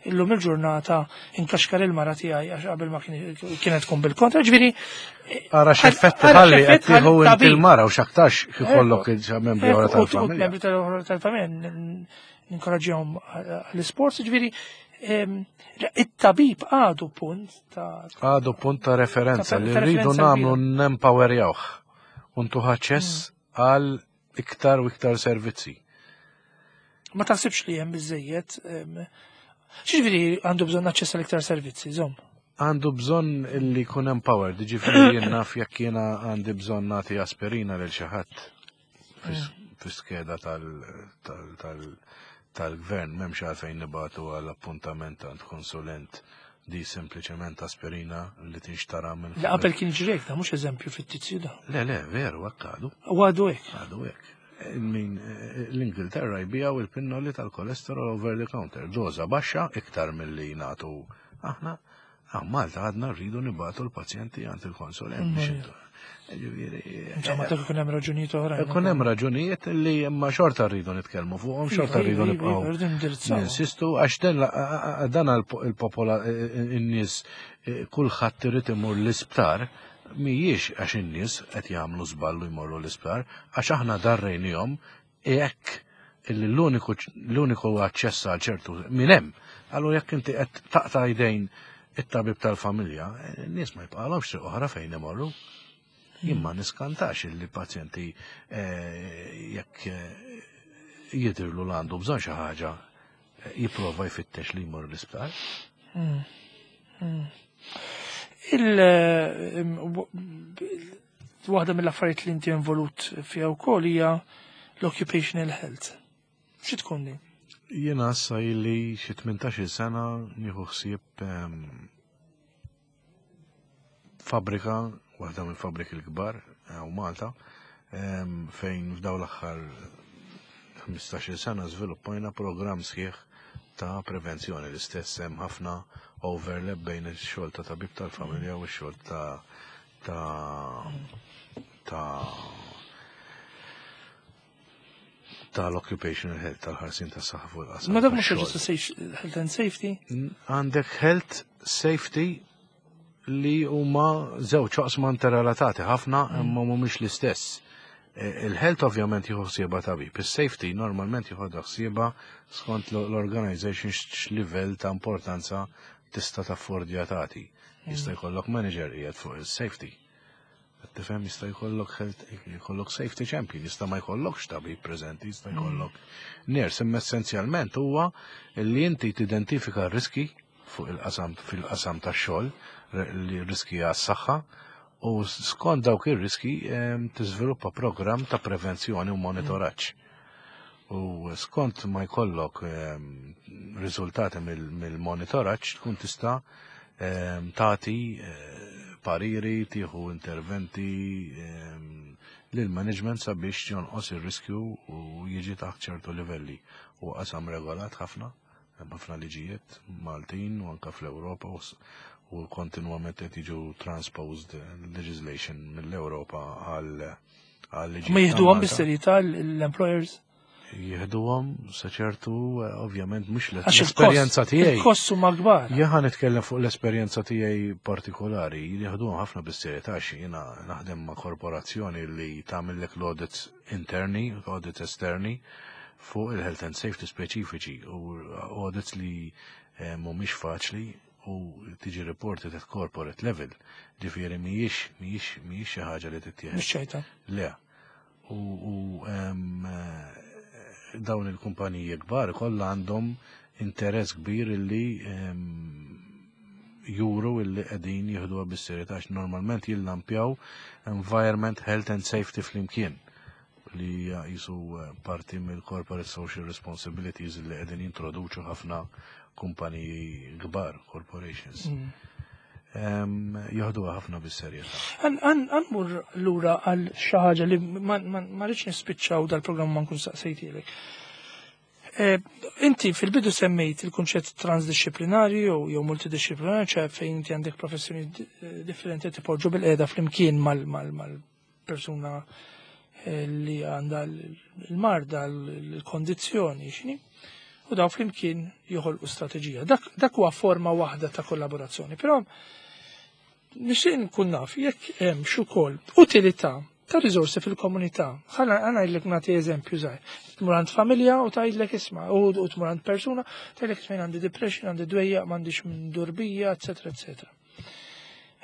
Illum il-ġurnata inkaxkar il-mara tiegħi għax qabel ma kien- kienet tkun bil-kontra, ġifieri Ara x'effetti Ara ħalli qed x'effett tieħu ħalli inti tabib. l-mara u x'aktarx ikollok membri oħra U- u tal-familja. Membri tal- tal-familja n- ninkoraġġihom għall-isports, ġifieri em, it-tabib għadu punt ta' Għadu punt ta' referenza Ta' li ta' rridu referenza nagħmlu kbira. nempowerjawh u ntuh aċċess għal iktar u iktar servizzi. Ma taħsibx li hemm biżejjed em, X'jiġifieri għandu bżonn aċċess għal iktar servizzi, żomm? Għandu bżonn li jkun empowered, ġifieri jien naf jekk jiena għandi bżonn nagħti aspirina lil xi ħadd fi skeda tal-gvern, m'hemmx għalfejn nibagħtu għal appuntament għand konsulent, di sempliċement aspirina li tinxtara minn. La, qabel kien ġrek, da mhux eżempju fittizju da. Le, le, veru, hekk għadu. U għadu hekk. Għadu hekk. Min l-Ingilterra jbijaw il-pinnoli tal-kolesterol over the counter, doza baxxa iktar mill-li nagħtu aħna. Ah, Malta għadna rridu nibagħtu l-pazjenti għand il-konsulent biex intu. Ġifieri, Insomma, dak ikun hemm raġunijiet oħrajn. Ikun hemm raġunijiet li imma xorta rridu nitkellmu fuqhom, xorta Iva, rridu iva, nibqgħu iva, rridu nindirizzaw. ninsistu għax dan dan il-popola in-nies, kulħadd irid imur l-isptar, mhijiex għax in-nies qed jagħmlu żballu jmorru l-isptar, għax aħna darrejnihom hekk illi l-uniku l-uniku aċċess għal ċertu minn hemm. Allura jekk inti qed taqta' jdejn it-tabib tal-familja, n-nies ma jibqalhomx triq oħra fejn imorru. Jien ma niskantax illi pazjenti eh, jekk eh, jidirlu l għandu bżonn xi ħaġa, eh, jipprova jfittex li jmur l-isptar. Il eh, waħda mill-affarijiet li inti involut fiha wkoll hija l-occupational health. Xi tkun din? Jiena issa illi xi tmintax-il sena nieħu ħsieb ehm, fabrika, waħda mill fabriki l-kbar u Malta, ehm, fejn f'daw l-aħħar ħmistax-il sena żviluppajna programm sħiħ ta' prevenzjoni. L-istess, hemm ħafna overlap bejn ix-xogħol ta' tabib tal-familja u x-xogħol ta' ta' ta' tal-occupational health, tal-ħarsin tas saħħa fuq il-qasam Ma dak mhux tax-xogħol. just health and safety. Għandek health, safety, li huma żewġ oqsma interrelatati ħafna imma mhumiex l-istess. E, Il-health ovvjament jieħu ħsiebha tabib, is-safety normalment jieħu ħsiebha skont l-organization x'livell ta' importanza tista' taffordja tagħti. Jista' jkollok manager qiegħed fuq is-safety. Tifhem, jista' jkollok health, jkollok safety champion, jista' ma jkollokx tabib preżenti, jista' jkollok nurse, imma essenzjalment huwa li inti tidentifika r-riski fuq il-qasam fil-qasam tax-xogħol, li riski għas-saħħa, u skont dawk ir-riski em, tiżviluppa programm ta' prevenzjoni u monitoraġġ. U skont ma jkollok em, riżultati mill-monitoraġġ tkun tista' em, tagħti eh, pariri, tieħu interventi em, lil management sabiex jonqos ir-riskju u jiġi taħt ċertu livelli. U qasam regolat ħafna, hemm ħafna liġijiet Maltin u anka fl-Ewropa u s- u kontinwament qed jiġu transposed legislation mill-Ewropa għal għal liġijiet Ma ta' jieħduhom Malta. bis-serjetà l-employers? Jieħduhom sa ċertu, eh, ovvjament mhux Għax il-kost- l-esperjenza tiegħi. Il-kost huma kbar. Jien ħa nitkellem fuq l-esperjenza tiegħi partikolari, jieħduhom ħafna bis-serjetà għax jiena naħdem ma' korporazzjoni li tagħmellek l-audits interni, audits esterni fuq il-health and safety speċifiċi u audits li eh, mhumiex faċli u tiġi reported at corporate level. Ġifieri mhijiex mhijiex mhijiex xi ħaġa li tittieħed. Mhux ċajta. Le. U, u em, eh, dawn il-kumpaniji kbar kollha għandhom interess kbir illi em, juru illi qegħdin jieħduha bis-serjetà għax normalment jillampjaw environment, health and safety flimkien li hija jisu eh, parti mill-corporate social responsibilities li qegħdin jintroduċu ħafna kumpaniji kbar, corporations. Mm. Em, Jieħduha ħafna bis-serjetà. Ħa mmur lura għal xi ħaġa li ma ma- ma rridx nispiċċaw dal-programm ma nkun saqsejtilek. Eh, Inti fil-bidu semmejt il-kunċett transdisciplinarju jew jew multidisciplinarju, ċe fejn inti għandek professjoni di- differenti tipoġġu bil-qiegħda flimkien mal-persuna eh, li għandha l-marda, l-kondizzjoni, xini? U daw flimkien joħolqu strateġija. Dak, dak huwa forma waħda ta' kollaborazzjoni. Però nixtieq nkun naf jekk hemm ukoll utilità ta' riżorsi fil-komunità. Ħa ngħidlek, nagħti eżempju żgħir. Tmur għand familja u tgħidlek isma' u u tmur għand persuna tgħidlek isma', għandi depression, għandi dwejja, m'għandix minn durbija, eċetera, eċetera.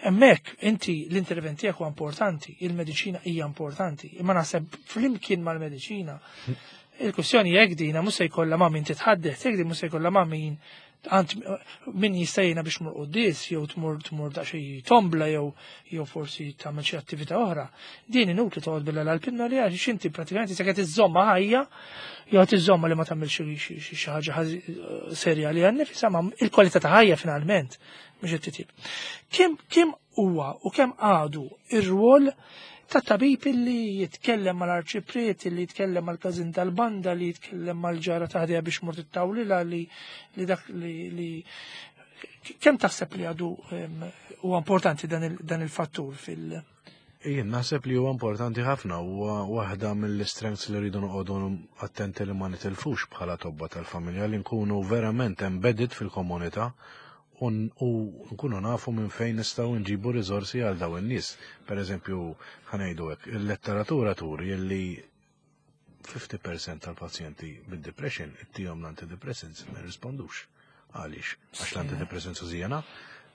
Hemmhekk inti l-intervent tiegħek huwa importanti, il-mediċina hija importanti, imma naħseb flimkien mal-mediċina il-kwestjoni jekk dina mhux se jkollha ma' min titħaddet, jekk din mhux se jkollha ma' min Għand min jista' jgħinha biex tmur quddies, jew tmur tmur daqsxejn tombla, jew jew forsi tagħmel xi attività oħra. Din inutli toqgħod billa l-pinnoli għax inti pratikament se qed iżżomma ħajja jew tiżomma li ma tagħmel xi xi ħaġa serja li għan nifisha, ma il-kwalità ta' ħajja finalment mhux qed titjib. Kemm kemm huwa u kemm għadu ir-rwol ta' tabib li jitkellem mal-arċipriet, li jitkellem mal-każin tal-banda, li jitkellem mal-ġara ta' ħdejha biex mort it-tawlila, li li dak li li kemm taħseb li għadu huwa importanti dan il-fattur fil- Jien naħseb li huwa importanti ħafna, huwa waħda mill-strengths li rridu noqogħdu attenti li ma nitilfux bħala tobba tal-familja, li nkunu verament embedded fil-komunità u nkunu nafu minn fejn nistgħu nġibu riżorsi għal dawn in-nies. Per eżempju, ħa ngħidu hekk, il-letteratura turi li fifty percent tal-pazjenti bid-depression ittihom l-antidepressants ma jirrispondux. Għaliex? Għax l-antidepressants użijana,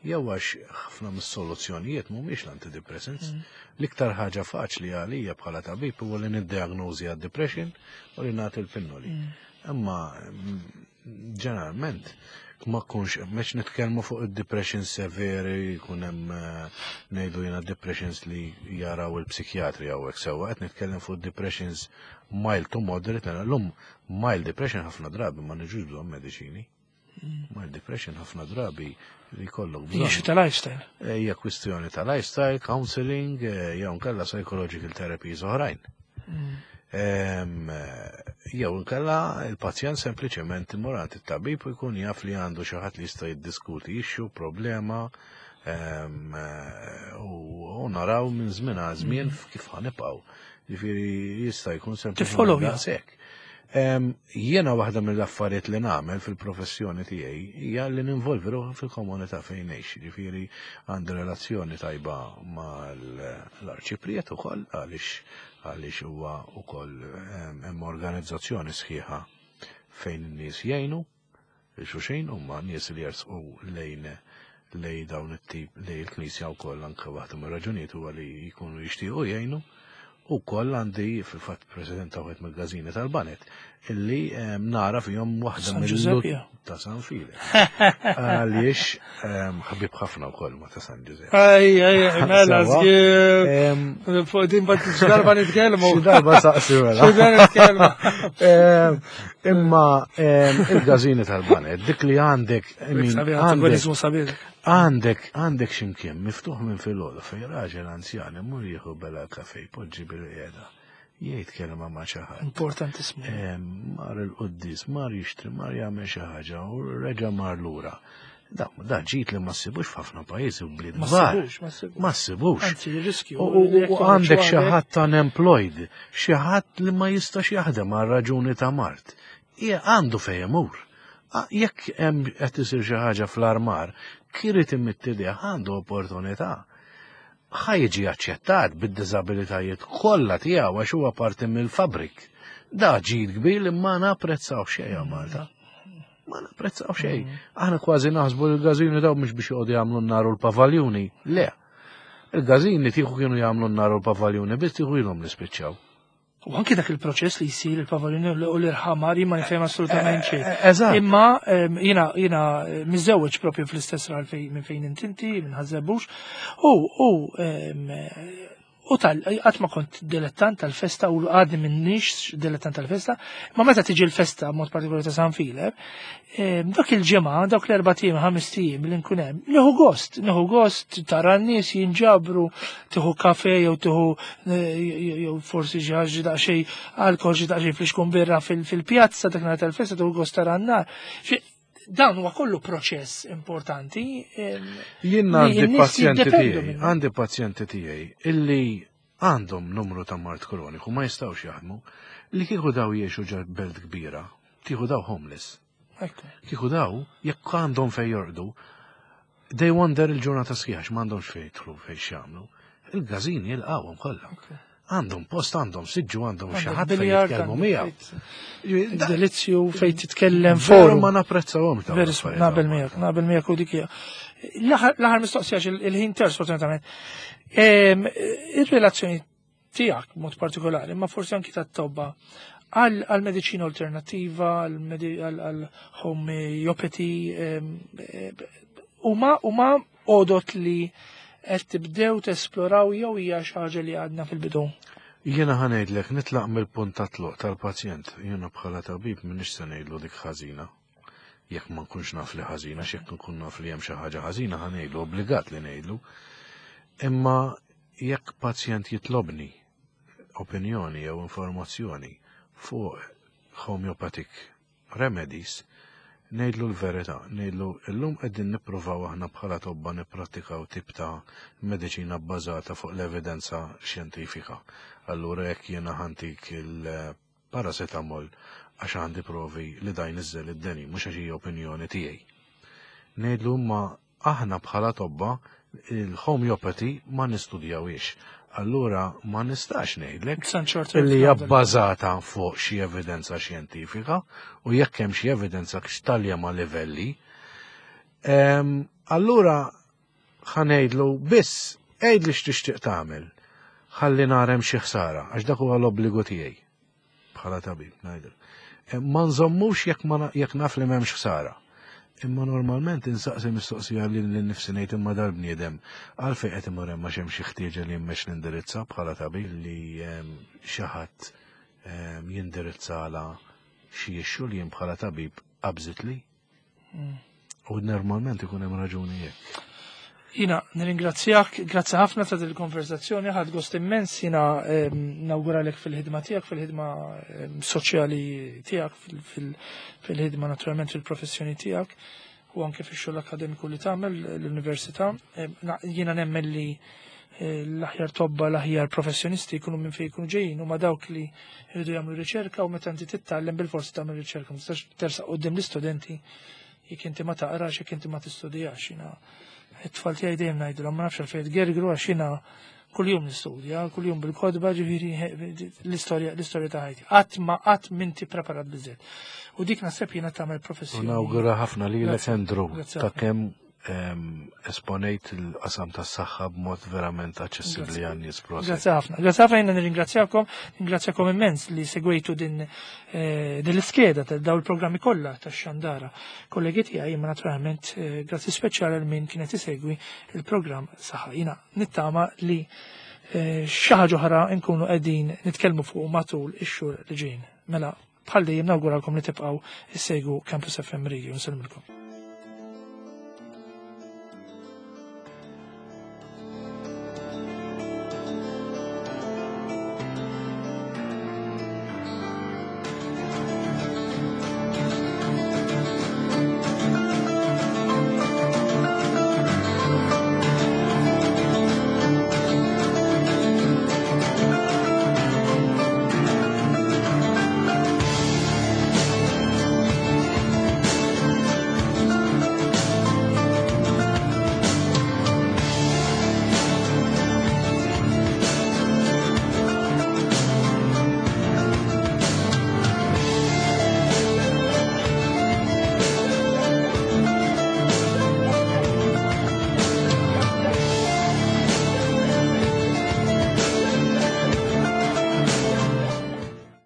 jew għax ħafna mis-soluzzjonijiet mhumiex l-antidepressants. Mm. L-iktar ħaġa faċli għalija bħala tabib huwa li niddiagnożi għad-depression u li nagħti l-pinnoli. Mm. Imma mm, ġeneralment ma kunx, meċ nitkellmu fuq id-depression severi, jkun hemm eh, ngħidu jiena depressions li jaraw il-psikjatri hawnhekk sewwa, qed nitkellem fuq depressions mild to moderate, l-lum mild depression ħafna drabi ma niġux bżonn mediċini. Mm. Mild depression ħafna drabi li jkollok bżonn. Ta' lifestyle. Eh, hija kwistjoni ta' lifestyle, counseling, eh, jew nkella psychological therapies oħrajn. Mm. Jew nkella il-pazjent sempliċement imur għand it-tabib u jkun jaf li għandu xi ħadd li jista' jiddiskuti issue, problema, u naraw minn żmien għal żmien mm. kif ħa nibqgħu. Ġifieri jista' jkun sempliċement daqshekk. Jiena waħda mill-affarijiet li nagħmel fil-professjoni tiegħi hija li ninvolvi ruħi fil-komunità fejn ngħix. Ġifieri għandi relazzjoni tajba mal-arċipriet ukoll għaliex għaliex huwa wkoll hemm organizzazzjoni sħiħa fejn in-nies jgħinu xulxin, huma nies li jersqu lejn lej dawn it-tip lej il-Knisja wkoll, anke waħda mir-raġunijiet huwa li jkunu jixtiequ jgħinu. U koll għandi fil-fatt president ta' wieħed mill-każini tal-baned illi nara fihom waħda mill ta' San Fili. Għaliex ħabib ħafna wkoll ma' ta' San Ġużepp. Ej, ej, mela, fuq din bat darba nitkellmu. Xi darba saqsi mela. Xi darba nitkellmu. Imma il-każini tal-baned, dik li għandek għandek għandek għandek ximkien miftuħ minn filgħodu fej raġel anzjan imur jieħu bela kafe, jpoġġi bil-qiegħda, jgħid kelma ma' xi ħadd. Importantissimu. Mar il-quddis, mar jixtri, mar jagħmel xi ħaġa u reġa' mar lura. Da, da ġid li ma ssibux f'ħafna pajjiżi u bliet Ma kbar. ssibux, ma ssibux. Ma ssibux. Anzi, riskju. U u- u għandek xi ħadd unemployed, xi ħadd li ma jistax jaħdem għal raġuni ta' mard. Hija għandu fejn imur. A- Jekk hemm qed isir xi ħaġa fl-armar, kirid imidd idejh, għandu opportunità. Ħa jiġi aċċettat bid-diżabilitajiet kollha tiegħu għax huwa parti mill-fabric. Da ġid kbir li ma napprezzaw xejn hawn Malta. Ma napprezzaw xejn. Aħna kważi naħsbu li l-każini daw mhux biex joqogħdu jagħmlu n-nar u l-pavaljuni. Le. Il-każini tieħu kienu jagħmlu n-nar u l-pavaljuni, biss tieħu ilhom li spiċċaw. U anki dak il-proċess li jsir il-pavaljuni u l-irħamar ma nifhem assolutament xejn. Eżatt. Imma em, jiena jiena miżewweġ propju fl-istess raħal fej minn fejn intinti, minn Ħaż-Żebbuġ. U u em, u tal qatt ma kont dilettant tal-festa u għadni minnix dilettant tal-festa, ma meta tiġi l-festa mod partikolari ta' San Filep, em, dak il-ġimgħa, dak l-erba' ijiem, ħames ijiem li nkun hemm, nieħu gost, nieħu gost tara n-nies jinġabru, tieħu kafe jew tieħu eh, jew forsi xi ħaġa daqsxejn alkohol, xi daqsxejn flixkun birra fil- fil-pjazza dak nhar tal-festa, tieħu gost tara n-nar. Xi- Dan huwa kollu proċess importanti. em, Jien li għandi n-nies pazjenti jiddependu tiegħi, minnu. għandi pazjenti tiegħi illi għandhom numru ta' mard kroniku, ma jistgħux jaħdmu, li kieku daw jgħixu ġo belt kbira, kieku daw homeless. Ekku. Kieku daw, jekk għandhom fej jorqdu, they wonder il-ġurnata sħiħa m'għandhomx fej jidħlu, fej x'jagħmlu. Il-każini jilqawhom kollha. Għandhom post, għandhom siġġu, għandhom xi ħadd fejn Biljard, jitkellmu għandek miegħu. fejt- Delizzju fejn titkellem Veru forum. ma napprezzawhom dawn Veru, l-affarijiet naqbel hawn miegħek, Malta. naqbel miegħek u dik hija. L-aħħar l-aħħar mistoqsija għax il- il-ħin ter sfortunatament. Em, Ir-relazzjoni tiegħek mod partikolari, ma forsi anki tat-tobba Għal mediċina alternattiva, għal homeopathy, huma huma għodot li qed tibdew tesploraw jew hija xi ħaġa li għadna fil-bidu? Jiena ħa ngħidlek, nitlaq mill-punt ta' tluq tal-pazjent. Jiena bħala tabib m'iniex se ngħidlu dik ħażina. Jekk ma nkunx naf li ħażina, jekk nkun naf li hemm xi ħaġa ħażina, ħa ngħidlu, obbligat li ngħidlu. Imma jekk pazjent jitlobni opinjoni jew informazzjoni fuq homeopathic remedies, ngħidlu l-verità, ngħidlu illum qegħdin nippruvaw aħna bħala tobba nipprattikaw tip ta' mediċina bbażata fuq l-evidenza xjentifika. Allura jekk jiena ħa ntik il-paracetamol għax għandi provi li dan jniżżel id-deni, mhux għax hija opinjoni tiegħi. Ngħidlu ma aħna bħala tobba il-homeopathy ma nistudjawix. Allura ma nistax ngħidlek illi hija bbażata fuq xi evidenza xjentifika u jekk hemm xi evidenza x'talja ma' livelli. Allura ħa ngħidlu biss għidli x'tixtieq tagħmel, ħalli nara hemm xi ħsara, għax dak huwa l-obbligu tiegħi bħala tabib ngħidlu. Ma nżommux jekk naf li m'hemmx ħsara. Imma normalment insaqsi mistoqsija li l-nifsi, ngħid imma dal-bniedem għalfejn qed imur hemm, għax hemm xi ħtieġa li jimmex l-indirizza bħala tabib li xi ħadd jindirizzala xi issue li jien bħala tabib qabżitli. Mm. U normalment ikun hemm raġuni jekk. Jiena, nirringrazzjak, grazzi ħafna ta' il-konversazzjoni, ħadt gost immens, jiena nawguralek fil-ħidma tiegħek, fil-ħidma soċjali tiegħek, fil-ħidma naturalment fil-professjoni tiegħek u anke fix-xogħol akademiku li tagħmel l-università. Jiena nemmen li eh, l-aħjar tobba, l-aħjar professjonisti jkunu minn fejn jkunu ġejjin, huma dawk li jridu jagħmlu riċerka, u meta inti titgħallem bil-forsi tagħmel riċerka, ma tistax tersaq quddiem l-istudenti jekk inti ma taqrax, jekk inti ma tistudjax. Jiena it-tfal tiegħi dejjem ngħidu, ma nafx għalfejn tgergru għax jiena kuljum nistudja, kuljum bil-kotba, ġifieri l-istorja l-istorja ta' ħajti. Qatt ma qatt m'inti preparat biżejjed. U dik naħseb jiena tagħmel professjoni. Nawgura ħafna li Grazzi. Andrew Grazzi ta' ħafna. kemm em, esponejt il-qasam tas-saħħa b'mod verament aċċessibbli Grazzi. għan-nies, prosit. Grazzi ħafna. Grazzi ħafna, jiena nirringrazzjakom, ringrazzjakom immens li segwejtu din eh, din l-iskeda ta' daw il-programmi kollha tax-xandara. Kollegi tiegħi, imma naturalment eh, grazzi speċjali għal min kienet isegwi il-programm Saħħa. Jiena nittama li eh, xi ħaġa oħra nkunu qegħdin nitkellmu fuq matul ix-xhur li ġejjin. Mela bħal dejjem nawguralkom li tibqgħu issegwu Campus F M Radio. Nsellmilkom.